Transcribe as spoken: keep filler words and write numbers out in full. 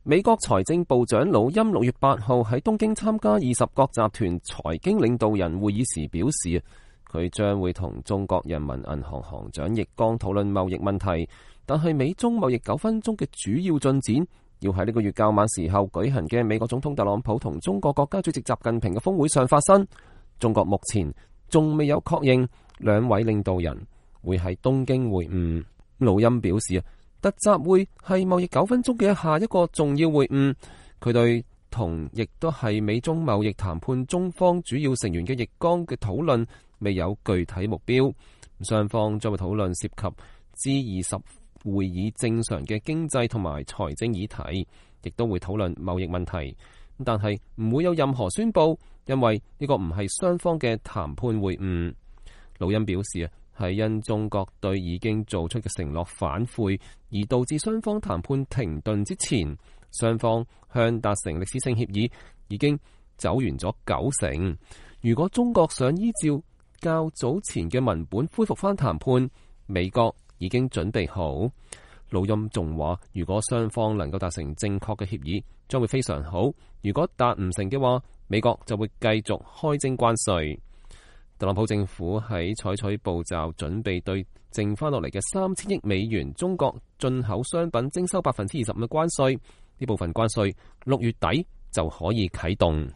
美國財政部長魯欽六月八號喺東京參加二十國集團財經領導人會議時表示，佢將會同中國人民銀行行長易綱討論貿易問題，但係美中貿易糾紛中嘅主要進展要喺呢個月較晚時候舉行嘅美國總統特朗普同中國國家主席習近平嘅峰會上發生。中國目前仲未有確認兩位領導人會喺東京會晤。魯欽表示，特集會係貿易糾紛中嘅下一個重要會晤，佢對同亦都係美中貿易談判中方主要成員嘅易綱嘅討論未有具體目標，雙方將會討論涉及 G 二十會議正常嘅經濟同埋財政議題，亦都會討論貿易問題，但係唔會有任何宣佈，因為呢個唔係雙方嘅談判會晤。魯欽表示啊，係因中國對已經做出嘅承諾反悔，而導致雙方談判停頓之前，雙方向達成歷史性協議已經走完咗九成。如果中國想依照較早前嘅文本恢復翻談判，美國已經準備好。魯欽仲話，如果雙方能夠達成正確嘅協議，將會非常好。如果達唔成嘅話，美國就會繼續開徵關稅。特朗普政府喺採取步驟，準備對剩翻落嚟嘅三千億美元中國進口商品徵收百分之二十五嘅關稅。呢部分關稅六月底就可以啟動。